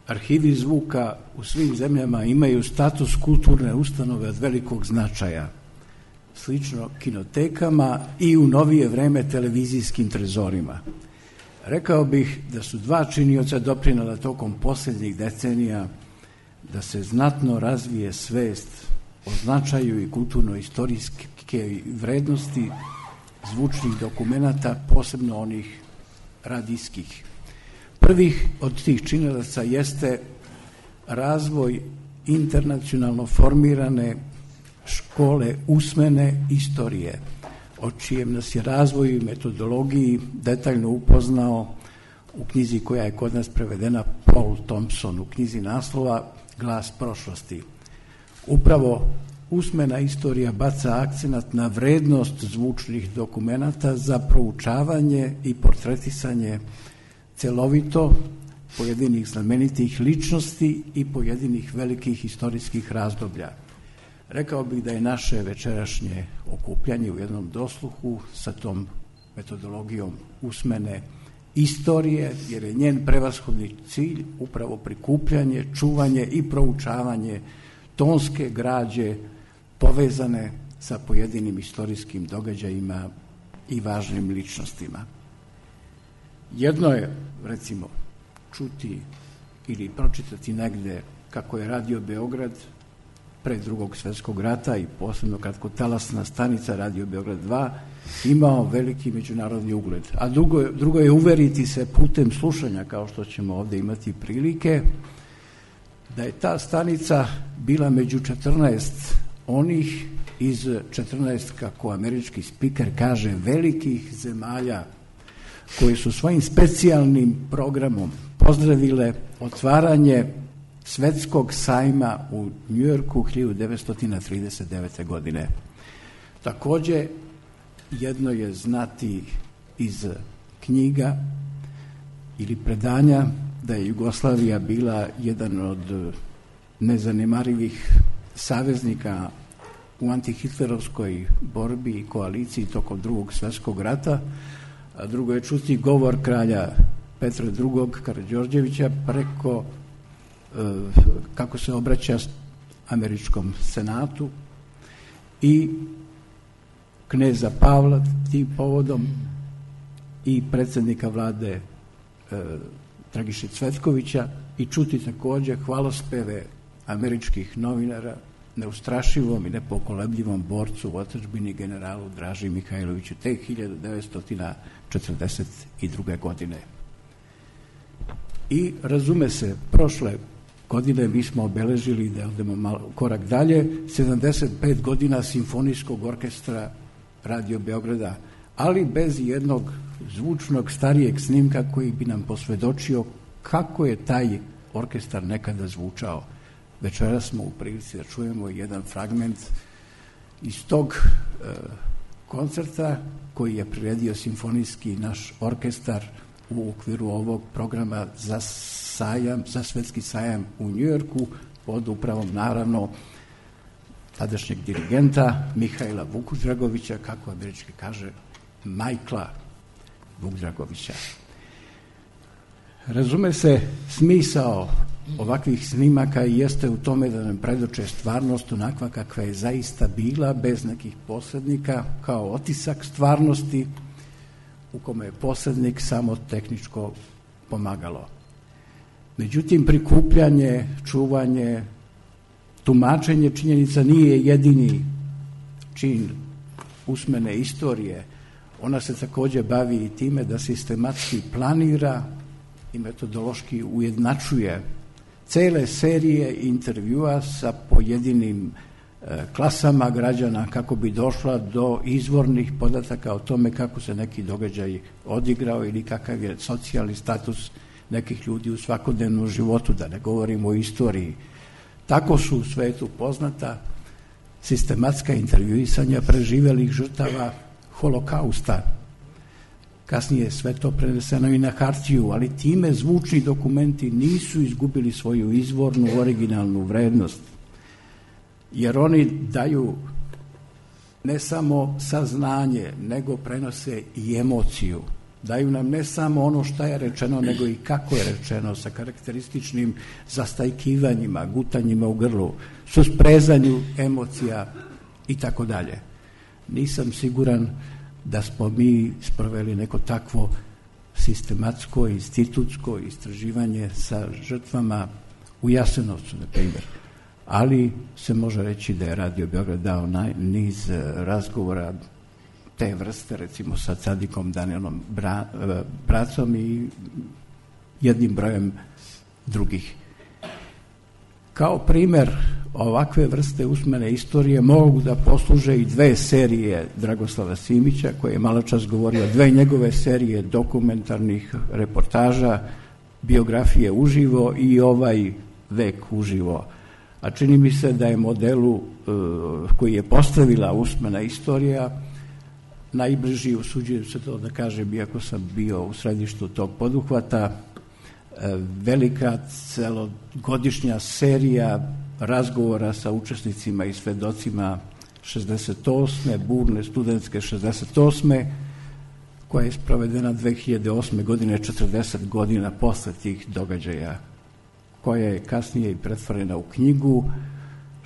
arhivi zvuka u svim zemljama imaju status kulturne ustanove od velikog značaja, slično kinotekama i u novije vreme televizijskim trezorima. Rekao bih da su dva činioca doprinela tokom posljednjih decenija da se znatno razvije svest o značaju i kulturno-istorijske vrednosti zvučnih dokumenata, posebno onih radijskih. Prvih od tih činilaca jeste razvoj internacionalno formirane škole usmene istorije, o čijem nas je razvoju i metodologiji detaljno upoznao u knjizi koja je kod nas prevedena Paul Thompson, u knjizi naslova Glas prošlosti. Upravo usmena istorija baca akcenat na vrednost zvučnih dokumenata za proučavanje i portretisanje celovito pojedinih znamenitih ličnosti i pojedinih velikih istorijskih razdoblja. Rekao bih da je naše večerašnje okupljanje u jednom dosluhu sa tom metodologijom usmene istorije, jer je njen prevashodni cilj upravo prikupljanje, čuvanje i proučavanje tonske građe povezane sa pojedinim istorijskim događajima i važnim ličnostima. Jedno je, recimo, čuti ili pročitati negde kako je Radio Beograd pre Drugog svjetskog rata i posebno kratkotalasna stanica Radio Beograd 2 imao veliki međunarodni ugled. A drugo je uveriti se putem slušanja, kao što ćemo ovdje imati prilike, da je ta stanica bila među 14 onih iz 14, kako američki spiker kaže, velikih zemalja koji su svojim specijalnim programom pozdravile otvaranje Svetskog sajma u Njujorku 1939. godine. Također, jedno je znati iz knjiga ili predanja da je Jugoslavija bila jedan od nezanemarivih saveznika u antihitlerovskoj borbi i koaliciji tokom Drugog svjetskog rata, a drugo je čuti govor kralja Petra II. Karađorđevića preko kako se obraća američkom senatu i kneza Pavla tim povodom i predsjednika vlade Dragiše Cvetkovića i čuti također hvalospeve američkih novinara neustrašivom i nepokolebljivom borcu u otadžbini generalu Draži Mihajloviću te 1942. godine. I razume se, prošle godine mi smo obeležili, da odemo malo korak dalje, 75 godina simfonijskog orkestra Radio Beograda, ali bez jednog zvučnog starijeg snimka koji bi nam posvjedočio kako je taj orkestar nekada zvučao. Večera smo u prilici da čujemo jedan fragment iz tog koncerta koji je priredio simfonijski naš orkestar u okviru ovog programa za sajam, za svetski sajam u Njujorku pod upravom naravno tadašnjeg dirigenta Mihajla Vukdragovića, kako američki kaže Majkla Vukdragovića. Razume se, smisao ovakvih snimaka jeste u tome da nam predoče stvarnost onakva kakva je zaista bila, bez nekih posrednika, kao otisak stvarnosti u kome je posrednik samo tehničko pomagalo. Međutim, prikupljanje, čuvanje, tumačenje činjenica nije jedini čin usmene istorije. Ona se također bavi i time da sistematski planira i metodološki ujednačuje cele serije intervjua sa pojedinim klasama građana kako bi došla do izvornih podataka o tome kako se neki događaj odigrao ili kakav je socijalni status nekih ljudi u svakodnevnom životu, da ne govorimo o istoriji. Tako su u svetu poznata sistematska intervjuisanja preživjelih žrtava holokausta. Kasnije je sve to preneseno i na hartiju, ali time zvučni dokumenti nisu izgubili svoju izvornu, originalnu vrednost, jer oni daju ne samo saznanje, nego prenose i emociju. Daju nam ne samo ono šta je rečeno, nego i kako je rečeno, sa karakterističnim zastajkivanjima, gutanjima u grlu, susprezanju emocija i tako dalje. Nisam siguran da smo mi sproveli neko takvo sistematsko, institutsko istraživanje sa žrtvama u Jasenovcu, na primjer. Ali se može reći da je Radio Beograd dao niz razgovora te vrste, recimo sa Cadikom Danielom Bracom i jednim brojem drugih. Kao primer ovakve vrste usmene istorije mogu da posluže i 2 serije Dragoslava Simića, koje je malo čas govorio, 2 njegove serije dokumentarnih reportaža, biografije uživo i ovaj vek uživo. A čini mi se da je modelu koji je postavila usmena istorija najbliži, usuđujem se to da kažem, iako sam bio u središtu tog poduhvata, velika celogodišnja serija razgovora sa učesnicima i svedocima 68. burne studentske 68. koja je sprovedena 2008. godine, 40 godina posle tih događaja, koja je kasnije i pretvorena u knjigu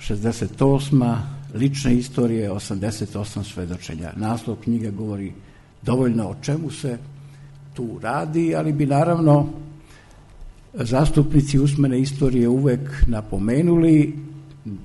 68. lične istorije, 88 svedočenja. Naslov knjiga govori dovoljno o čemu se tu radi, ali bi naravno zastupnici usmene istorije uvek napomenuli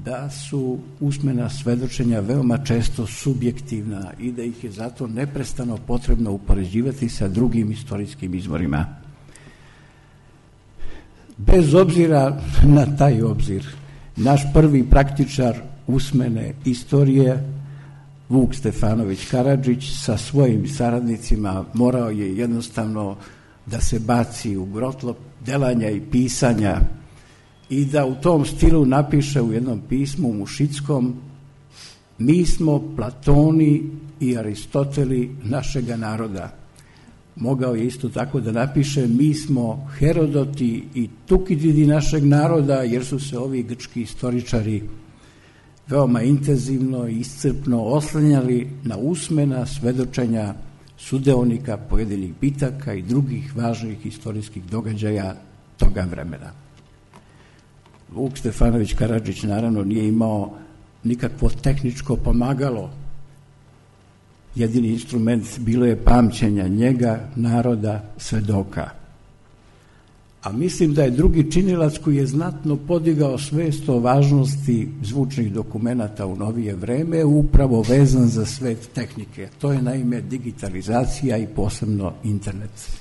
da su usmena svedočenja veoma često subjektivna i da ih je zato neprestano potrebno upoređivati sa drugim istorijskim izvorima. Bez obzira na taj obzir, naš prvi praktičar usmene istorije, Vuk Stefanović Karadžić, sa svojim saradnicima morao je jednostavno da se baci u grotlo delanja i pisanja i da u tom stilu napiše u jednom pismu mušickom: mi smo Platoni i Aristoteli našega naroda. Mogao je isto tako da napiše: mi smo Herodoti i Tukididi našeg naroda, jer su se ovi grčki istoričari veoma intenzivno i iscrpno oslanjali na usmena svedočenja sudeonika pojedinih bitaka i drugih važnih istorijskih događaja toga vremena. Vuk Stefanović Karadžić naravno nije imao nikakvo tehničko pomagalo. Jedini instrument bilo je pamćenja njega, naroda, svedoka. A mislim da je drugi činilac koji je znatno podigao svest o važnosti zvučnih dokumenata u novije vreme upravo vezan za svet tehnike. To je naime digitalizacija i posebno internet.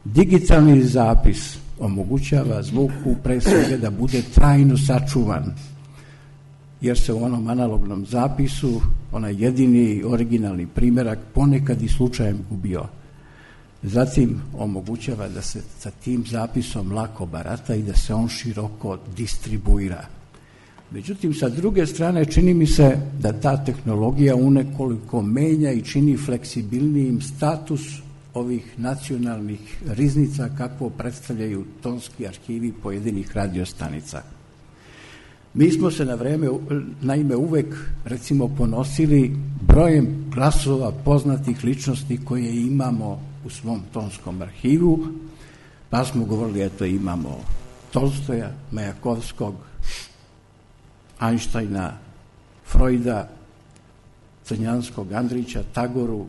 Digitalni zapis omogućava zvuku pre svega da bude trajno sačuvan, jer se u onom analognom zapisu onaj jedini originalni primjerak ponekad i slučajem gubio. Zatim omogućava da se sa tim zapisom lako barata i da se on široko distribuira. Međutim, sa druge strane, čini mi se da ta tehnologija unekoliko menja i čini fleksibilnijim status ovih nacionalnih riznica kakvo predstavljaju tonski arhivi pojedinih radiostanica. Mi smo se naime uvek, recimo, ponosili brojem glasova poznatih ličnosti koje imamo u svom tonskom arhivu, pa smo govorili, eto, imamo Tolstoja, Majakovskog, Einsteina, Freuda, Crnjanskog, Andrića, Tagoru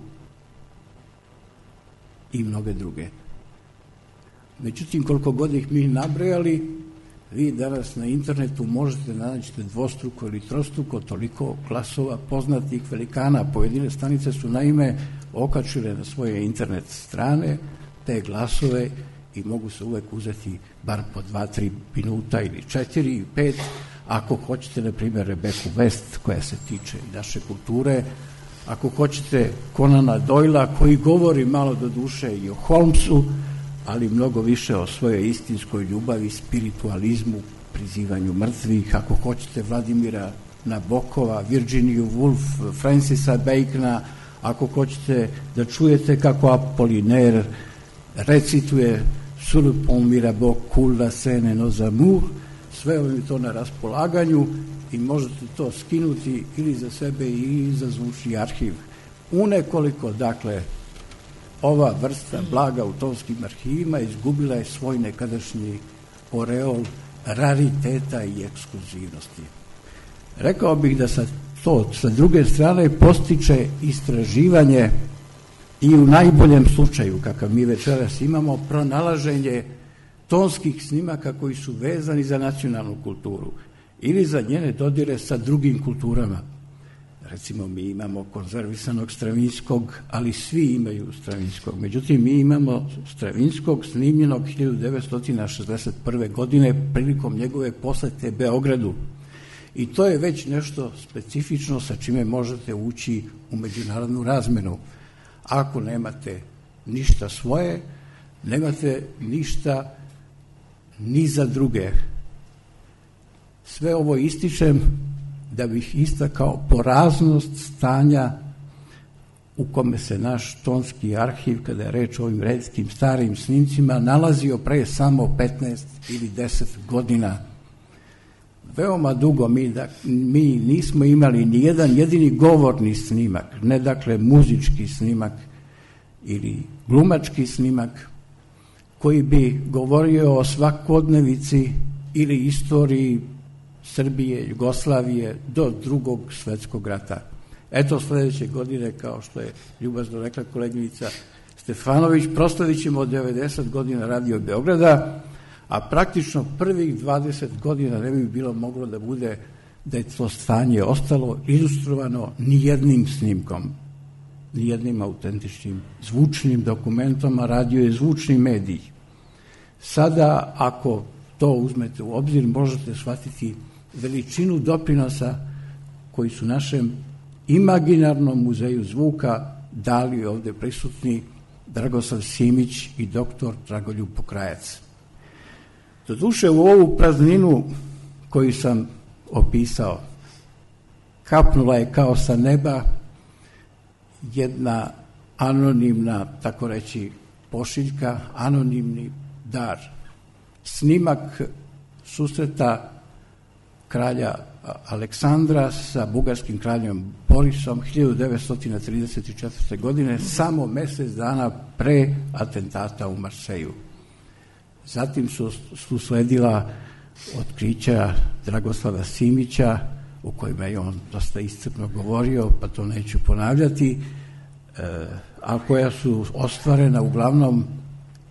i mnoge druge. Međutim, koliko god ih mi nabrojali, vi danas na internetu možete naći dvostruko ili trostruko toliko glasova poznatih velikana. Pojedine stanice su naime okačile na svoje internet strane te glasove i mogu se uvek uzeti bar po 2-3 minuta ili 4 i 5. Ako hoćete, na primjer, Rebeku West, koja se tiče naše kulture, ako hoćete Conana Doylea, koji govori malo do duše i o Holmesu, ali mnogo više o svojoj istinskoj ljubavi, spiritualizmu, prizivanju mrtvih, ako hoćete Vladimira Nabokova, Virginiju Woolf, Francisa Bacona, ako hoćete da čujete kako Apollinaire recituje Sur le pont Mirabeau coule la Seine nos amours, sve vam je to na raspolaganju i možete to skinuti ili za sebe ili za zvučni arhiv. Unekoliko, dakle, ova vrsta blaga u tonskim arhivima izgubila je svoj nekadašnji oreol rariteta i ekskluzivnosti. Rekao bih da sa druge strane postiče istraživanje i u najboljem slučaju, kakav mi večeras imamo, pronalaženje tonskih snimaka koji su vezani za nacionalnu kulturu ili za njene dodire sa drugim kulturama. Recimo, mi imamo konzervisanog Stravinskog, ali svi imaju Stravinskog. Međutim, mi imamo Stravinskog snimljenog 1961. godine prilikom njegove posete Beogradu. I to je već nešto specifično sa čime možete ući u međunarodnu razmenu. Ako nemate ništa svoje, nemate ništa ni za druge. Sve ovo ističem da bih istakao poraznost stanja u kome se naš tonski arhiv, kada je reč o ovim retkim starim snimcima, nalazio pre samo 15 ili 10 godina. Veoma dugo mi nismo imali ni jedan jedini govorni snimak, ne dakle muzički snimak ili glumački snimak, koji bi govorio o svakodnevici ili istoriji Srbije, Jugoslavije do Drugog svetskog rata. Eto, sledeće godine, kao što je ljubazno rekla koleginica Stefanović, proslavit ćemo 90 godina Radio Beograda, a praktično prvih 20 godina ne bi bilo moglo da bude da je to stanje ostalo ilustrovano ni jednim snimkom, ni jednim autentičnim zvučnim dokumentom, a radio je zvučni medij. Sada, ako to uzmete u obzir, možete shvatiti veličinu doprinosa koji su našem imaginarnom muzeju zvuka dali ovde prisutni Dragoslav Simić i doktor Dragoljub Pokrajac. Doduše, u ovu prazninu koju sam opisao, kapnula je kao sa neba jedna anonimna, tako reći, pošiljka, anonimni dar. Snimak susreta kralja Aleksandra sa bugarskim kraljem Borisom 1934. godine, samo mesec dana pre atentata u Marseju. Zatim su sledila otkrića Dragoslava Simića, u kojima je on dosta iscrpno govorio, pa to neću ponavljati, a koja su ostvarena uglavnom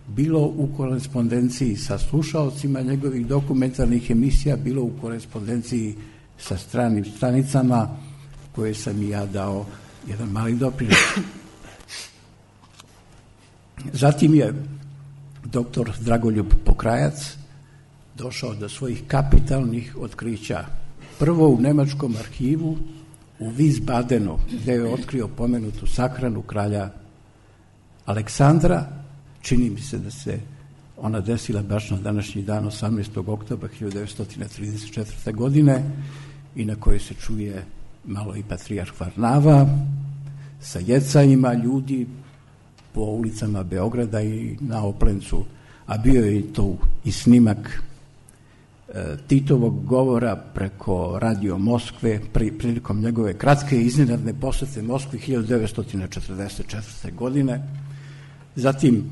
bilo u korespondenciji sa slušaocima njegovih dokumentarnih emisija, bilo u korespondenciji sa stranim stranicama koje sam i ja dao jedan mali doprinos. Zatim je doktor Dragoljub Pokrajac došao do svojih kapitalnih otkrića. Prvo u nemačkom arhivu u Wiesbadenu, gde je otkrio pomenutu sahranu kralja Aleksandra. Čini mi se da se ona desila baš na današnji dan, 18. oktobra 1934. godine, i na kojoj se čuje malo i patrijarh Varnava sa jecanjima ljudi po ulicama Beograda i na Oplencu, a bio je to i snimak Titovog govora preko Radio Moskve prilikom njegove kratke i iznenadne posete Moskvi 1944. godine. Zatim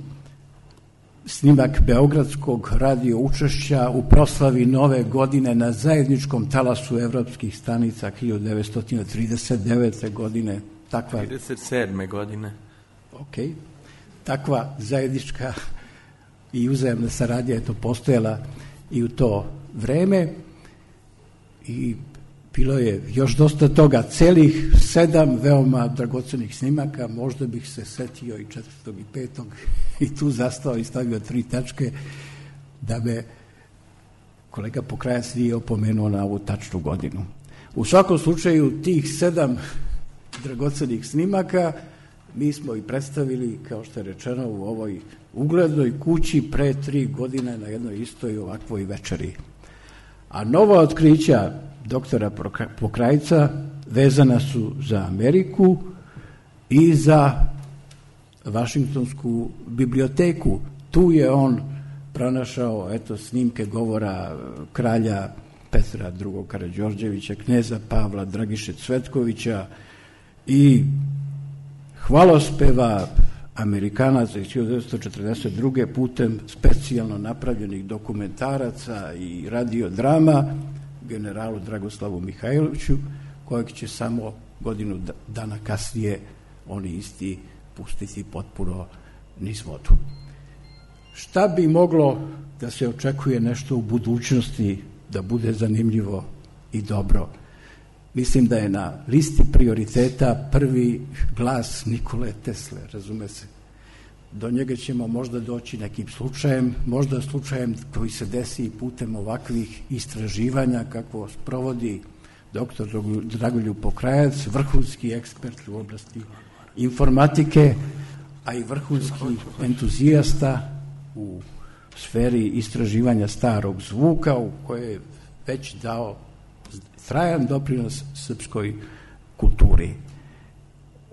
snimak beogradskog radio učešća u proslavi Nove godine na zajedničkom talasu evropskih stanica 1939. godine. 37. godine. Ok. Takva zajednička i uzajamna saradnja je to postojala i u to vreme i bilo je još dosta toga, celih 7 veoma dragocenih snimaka, možda bih se setio i 4. i 5. i tu zastao i stavio 3 tačke da me kolega Pokrajac nije opomenuo na ovu tačnu godinu. U svakom slučaju tih 7 dragocenih snimaka mi smo i predstavili, kao što je rečeno, u ovoj uglednoj kući pre 3 godine na jednoj istoj ovakvoj večeri. A nova otkrića doktora Pokrajca vezana su za Ameriku i za Vašingtonsku biblioteku. Tu je on pronašao snimke govora kralja Petra II. Karađorđevića, kneza Pavla Dragiše Cvetkovića i hvalospeva Amerikanaca iz 1942. putem specijalno napravljenih dokumentaraca i radiodrama generalu Dragoslavu Mihajloviću, kojeg će samo godinu dana kasnije oni isti pustiti potpuno niz vodu. Šta bi moglo da se očekuje nešto u budućnosti da bude zanimljivo i dobro? Mislim da je na listi prioriteta prvi glas Nikole Tesle, razume se. Do njega ćemo možda doći nekim slučajem, možda slučajem koji se desi putem ovakvih istraživanja kako sprovodi dr. Dragoljub Pokrajac, vrhunski ekspert u oblasti informatike, a i vrhunski entuzijasta u sferi istraživanja starog zvuka, u koje je već dao trajan doprinos srpskoj kulturi.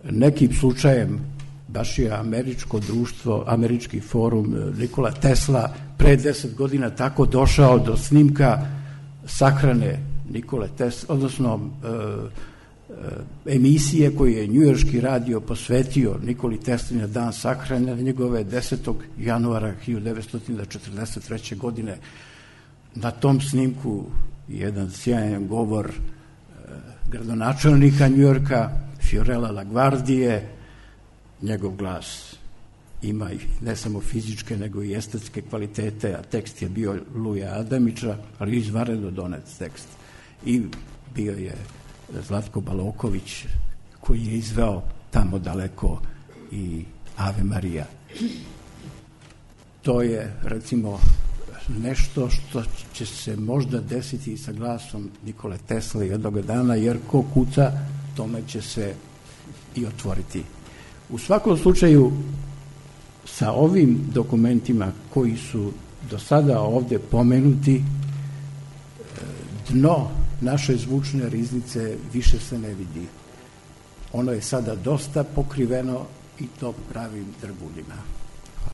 Nekim slučajem baš je američko društvo, američki forum Nikola Tesla pre 10 godina tako došao do snimka sahrane Nikole Tesla, odnosno emisije koju je njujorški radio posvetio Nikoli Tesli na dan sahrane njegove 10. januara 1943. godine. Na tom snimku jedan sjajan govor gradonačelnika Njujorka, Fiorella LaGuardije. Njegov glas ima ne samo fizičke, nego i estetske kvalitete, a tekst je bio Luja Adamića, ali izvanredno donet tekst. I bio je Zlatko Baloković, koji je izveo Tamo daleko i Ave Marija. To je, recimo, nešto što će se možda desiti i sa glasom Nikole Tesle jednog dana, jer ko kuca, tome će se i otvoriti. U svakom slučaju, sa ovim dokumentima koji su do sada ovde pomenuti, dno naše zvučne riznice više se ne vidi. Ono je sada dosta pokriveno i to pravim drbuljima.